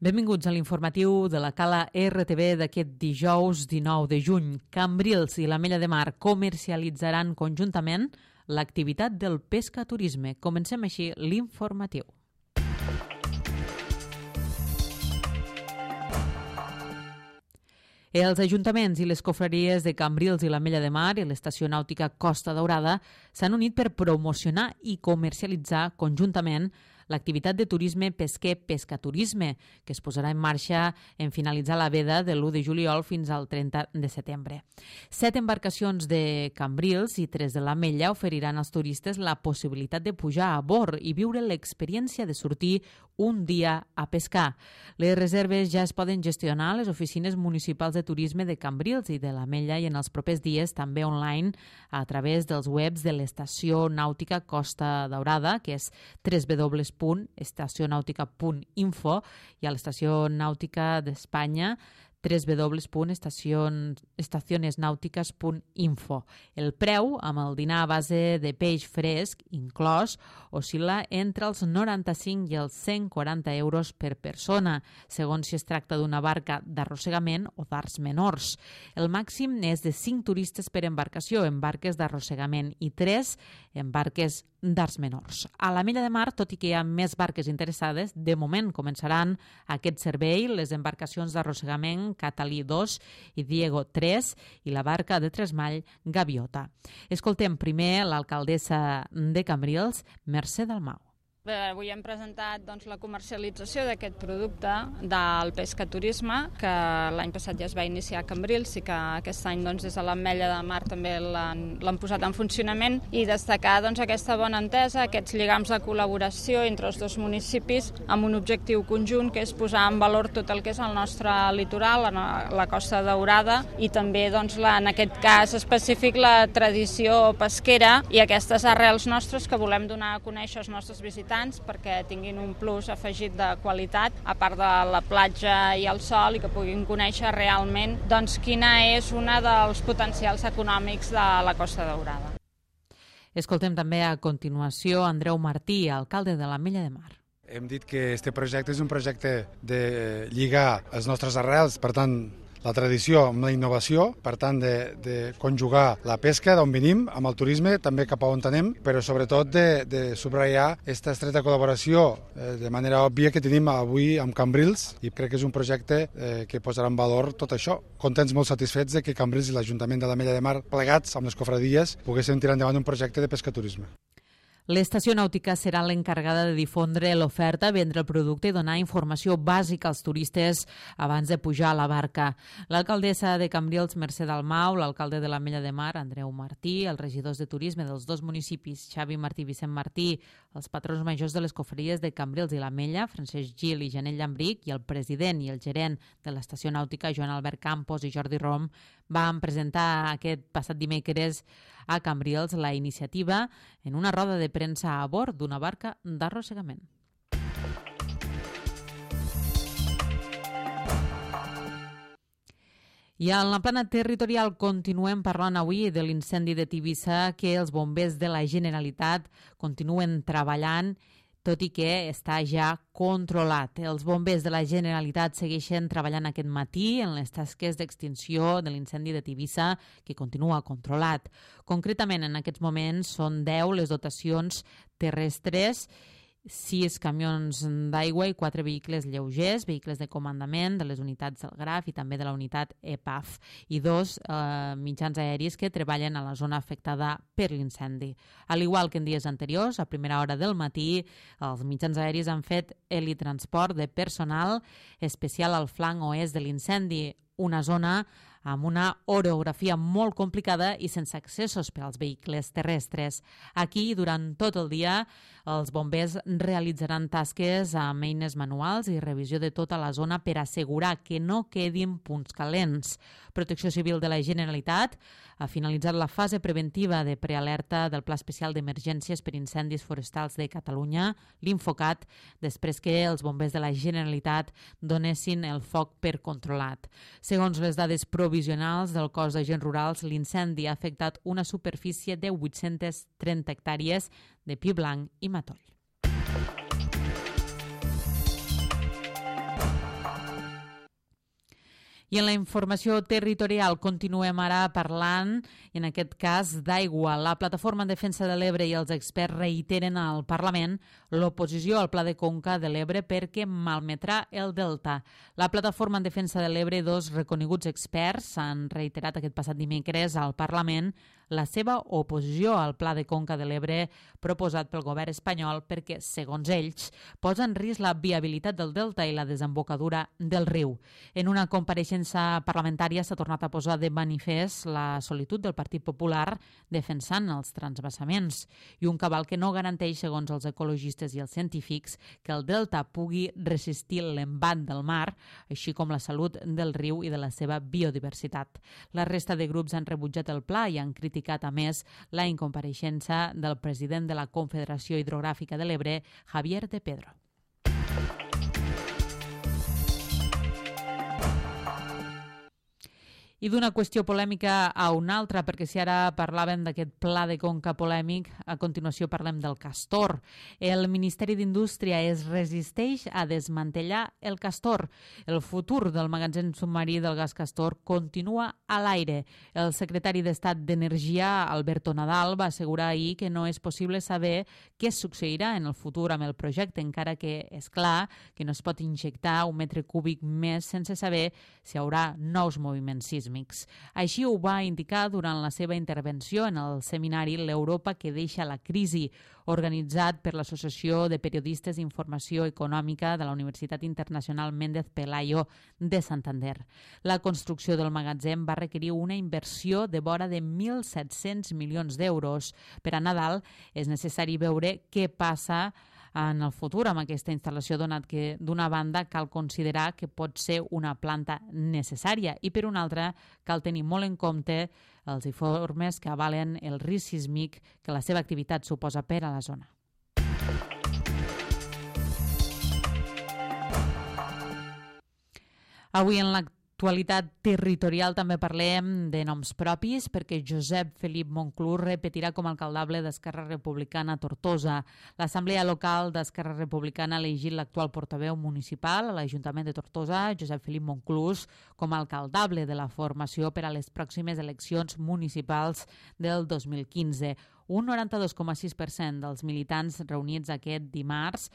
Benvinguts a l'informatiu de la Cala RTV d'aquest dijous 19 de juny. Cambrils i l'Ametlla de Mar comercialitzaran conjuntament l'activitat del pescaturisme. Comencem així l'informatiu. Els ajuntaments i les confraries de Cambrils i l'Ametlla de Mar i l'Estació Nàutica Costa Daurada s'han unit per promocionar i comercialitzar conjuntament l'activitat de turisme pesquer-pescaturisme, que es posarà en marxa en finalitzar la veda de l'1 de juliol fins al 30 de setembre. 7 embarcacions de Cambrils i 3 de l'Ametlla oferiran als turistes la possibilitat de pujar a bord i viure l'experiència de sortir un dia a pescar. Les reserves ja es poden gestionar a les oficines municipals de turisme de Cambrils i de l'Ametlla i en els propers dies també online a través dels webs de l'Estació Nàutica Costa Daurada, que és www.estacionautica.info, i a l'Estació Nàutica d'Espanya www.estacionesnautiques.info. El preu, amb el dinar a base de peix fresc inclòs, oscil·la entre els 95 i els 140 euros per persona, segons si es tracta d'una barca d'arrossegament o d'arts menors. El màxim és de 5 turistes per embarcació en barques d'arrossegament i 3 en barques d'arts menors. A l'Ametlla de Mar, tot i que hi ha més barques interessades, de moment començaran aquest servei les embarcacions d'arrossegament Catalí 2 i Diego 3 i la barca de tresmall Gaviota. Escoltem primer l'alcaldessa de Cambrils, Mercè Dalmau. Bé, avui hem presentat la comercialització d'aquest producte del pescaturisme, que l'any passat ja es va iniciar a Cambrils i que aquest any des de l'Ametlla de Mar també l'han posat en funcionament, i destacar aquesta bona entesa, aquests lligams de col·laboració entre els dos municipis amb un objectiu conjunt, que és posar en valor tot el que és el nostre litoral, la Costa Daurada, i també en aquest cas específic la tradició pesquera i aquestes arrels nostres que volem donar a conèixer als nostres visitants perquè tinguin un plus afegit de qualitat, a part de la platja i el sol, i que puguin conèixer realment quina és una dels potencials econòmics de la Costa Daurada. Escoltem també a continuació Andreu Martí, alcalde de l'Ametlla de Mar. Hem dit que aquest projecte és un projecte de lligar els nostres arrels, per tant, la tradició amb la innovació, per tant, de conjugar la pesca d'on venim amb el turisme, també cap a on anem, però sobretot de subratllar aquesta estreta col·laboració de manera òbvia que tenim avui amb Cambrils, i crec que és un projecte que posarà en valor tot això. Contents, molt satisfets de que Cambrils i l'Ajuntament de l'Ametlla de Mar, plegats amb les cofradies, poguessin tirar endavant un projecte de pescaturisme. L'Estació Nàutica serà l'encarregada de difondre l'oferta, vendre el producte i donar informació bàsica als turistes abans de pujar a la barca. L'alcaldessa de Cambrils, Mercè Dalmau, l'alcalde de l'Ametlla de Mar, Andreu Martí, els regidors de turisme dels dos municipis, Xavi Martí i Vicent Martí, els patrons majors de les confraries de Cambrils i l'Ametlla, Francesc Gil i Janell Llambric, i el president i el gerent de l'Estació Nàutica, Joan Albert Campos i Jordi Rom, van presentar aquest passat dimecres a Cambrils la iniciativa en una roda de premsa a bord d'una barca d'arrossegament. I en la plana territorial continuem parlant avui de l'incendi de Tivissa, que els bombers de la Generalitat continuen treballant, tot i que està ja controlat. Els bombers de la Generalitat segueixen treballant aquest matí en les tasques d'extinció de l'incendi de Tivissa, que continua controlat. Concretament, en aquests moments són 10 les dotacions terrestres, 6 camions d'aigua i 4 vehicles lleugers, vehicles de comandament de les unitats del GRAF i també de la unitat EPAF, i 2 mitjans aèris que treballen a la zona afectada per l'incendi. Al igual que en dies anteriors, a primera hora del matí, els mitjans aèris han fet helitransport de personal especial al flanc oest de l'incendi, una zona amb una orografia molt complicada i sense accessos per als vehicles terrestres. Aquí, durant tot el dia, els bombers realitzaran tasques amb eines manuals i revisió de tota la zona per assegurar que no quedin punts calents. Protecció Civil de la Generalitat ha finalitzat la fase preventiva de prealerta del Pla Especial d'Emergències per Incendis Forestals de Catalunya, l'Infocat, després que els bombers de la Generalitat donessin el foc per controlat. Segons les dades provisionals del cos d'agents rurals, l'incendi ha afectat una superfície de 830 hectàrees de pi blanc i matoll. I en la informació territorial continuem ara parlant, i en aquest cas, d'aigua. La Plataforma en Defensa de l'Ebre i els experts reiteren al Parlament l'oposició al Pla de Conca de l'Ebre perquè malmetrà el delta. La Plataforma en Defensa de l'Ebre i dos reconeguts experts han reiterat aquest passat dimecres al Parlament la seva oposició al Pla de Conca de l'Ebre proposat pel govern espanyol perquè, segons ells, posa en risc la viabilitat del delta i la desembocadura del riu. En una compareixença parlamentària s'ha tornat a posar de manifest la solitud del Partit Popular defensant els transvasaments i un cabal que no garanteix, segons els ecologistes i els científics, que el delta pugui resistir l'embat del mar, així com la salut del riu i de la seva biodiversitat. La resta de grups han rebutjat el pla i han criticat, a més, la incompareixença del president de la Confederació Hidrogràfica de l'Ebre, Javier de Pedro. I d'una qüestió polèmica a una altra, perquè si ara parlàvem d'aquest pla de conca polèmic, a continuació parlem del castor. El Ministeri d'Indústria es resisteix a desmantellar el castor. El futur del magatzem submarí del gas castor continua a l'aire. El secretari d'Estat d'Energia, Alberto Nadal, va assegurar ahir que no és possible saber què succeirà en el futur amb el projecte, encara que és clar que no es pot injectar un metre cúbic més sense saber si hi haurà nous moviments sísmics. Així ho va indicar durant la seva intervenció en el seminari L'Europa que deixa la crisi, organitzat per l'Associació de Periodistes d'Informació Econòmica de la Universitat Internacional Méndez Pelayo de Santander. La construcció del magatzem va requerir una inversió de vora de 1.700 milions d'euros. Per a Nadal és necessari veure què passa en el futur amb aquesta instal·lació, donat que d'una banda cal considerar que pot ser una planta necessària i per una altra cal tenir molt en compte els informes que avalen el risc sísmic que la seva activitat suposa per a la zona. Avui en l'actualitat territorial també parlem de noms propis perquè Josep Felip Monclús repetirà com a alcaldable d'Esquerra Republicana a Tortosa. L'Assemblea Local d'Esquerra Republicana ha elegit l'actual portaveu municipal a l'Ajuntament de Tortosa, Josep Felip Monclús, com a alcaldable de la formació per a les pròximes eleccions municipals del 2015. Un 92,6% dels militants reunits aquest dimarts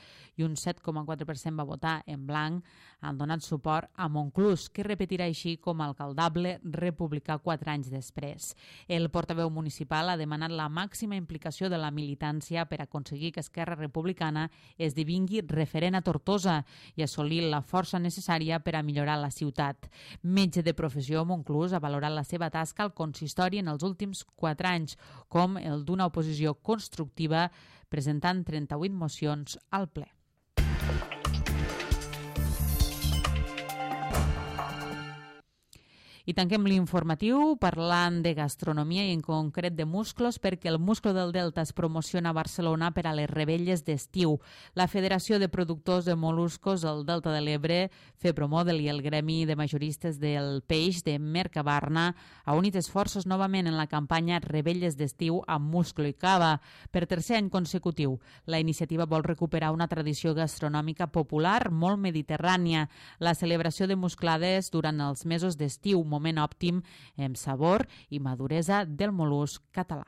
i un 7,4% va votar en blanc han donat suport a Monclús, que repetirà així com a alcaldable republicà 4 anys després. El portaveu municipal ha demanat la màxima implicació de la militància per aconseguir que Esquerra Republicana esdevingui referent a Tortosa i assolir la força necessària per a millorar la ciutat. Metge de professió, Monclús ha valorat la seva tasca al consistori en els últims 4 anys, com el d'una oposició constructiva, presentant 38 mocions al ple. I tanquem l'informatiu parlant de gastronomia i en concret de musclos, perquè el musclo del Delta es promociona a Barcelona per a les revetlles d'estiu. La Federació de Productors de Moluscos del Delta de l'Ebre, FEPROMODEL i el Gremi de Majoristes del Peix de Mercabarna ha unit esforços novament en la campanya Revetlles d'estiu amb musclo i cava. Per tercer any consecutiu, la iniciativa vol recuperar una tradició gastronòmica popular molt mediterrània, la celebració de musclades durant els mesos d'estiu, moment òptim en sabor i maduresa del mol·lusc català.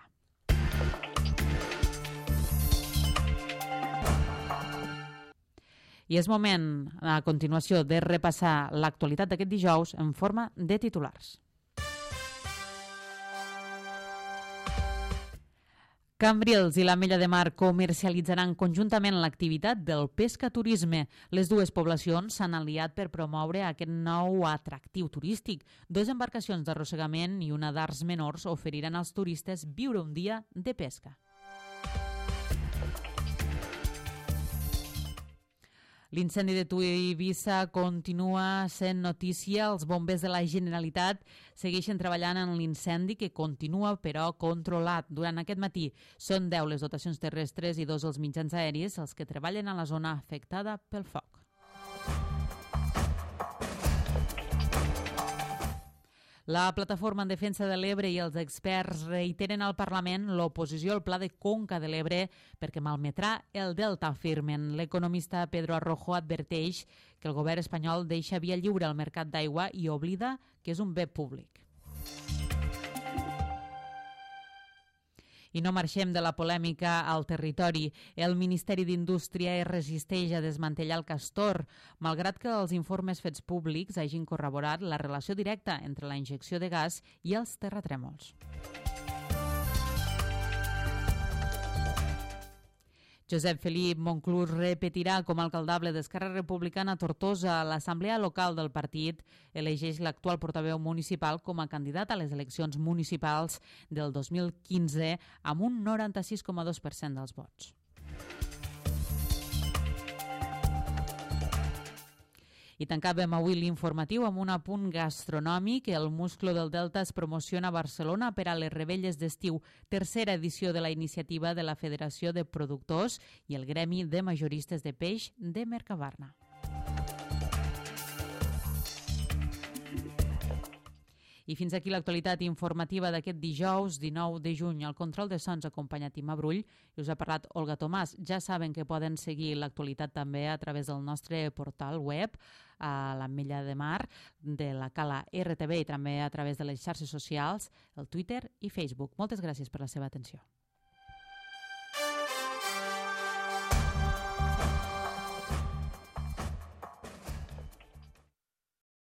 I és moment, a continuació, de repassar l'actualitat d'aquest dijous en forma de titulars. Cambrils i l'Ametlla de Mar comercialitzaran conjuntament l'activitat del pescaturisme. Les dues poblacions s'han aliat per promoure aquest nou atractiu turístic. 2 embarcacions d'arrossegament i una d'arts menors oferiran als turistes viure un dia de pesca. L'incendi de Eivissa continua sent notícia. Els bombers de la Generalitat segueixen treballant en l'incendi que continua, però, controlat. Durant aquest matí són 10 les dotacions terrestres i 2 els mitjans aèris els que treballen a la zona afectada pel foc. La Plataforma en Defensa de l'Ebre i els experts reiteren al Parlament l'oposició al Pla de Conca de l'Ebre perquè malmetrà el delta, afirmen. L'economista Pedro Arrojo adverteix que el govern espanyol deixa via lliure al mercat d'aigua i oblida que és un bé públic. I no marxem de la polèmica al territori. El Ministeri d'Indústria es resisteix a desmantellar el Castor, malgrat que els informes fets públics hagin corroborat la relació directa entre la injecció de gas i els terratrèmols. Josep Felip Monclús repetirà com a alcaldable d'Esquerra Republicana a Tortosa. L'Assemblea Local del partit elegeix l'actual portaveu municipal com a candidat a les eleccions municipals del 2015 amb un 96,2% dels vots. I tancàvem avui l'informatiu amb un apunt gastronòmic. El Musclo del Delta es promociona a Barcelona per a les Rebelles d'Estiu, tercera edició de la iniciativa de la Federació de Productors i el Gremi de Majoristes de Peix de Mercabarna. I fins aquí l'actualitat informativa d'aquest dijous 19 de juny. Al control de sons acompanyat Ima Brull i us ha parlat Olga Tomàs. Ja saben que poden seguir l'actualitat també a través del nostre portal web a l'Ametlla de Mar de la Cala RTV i també a través de les xarxes socials, el Twitter i Facebook. Moltes gràcies per la seva atenció.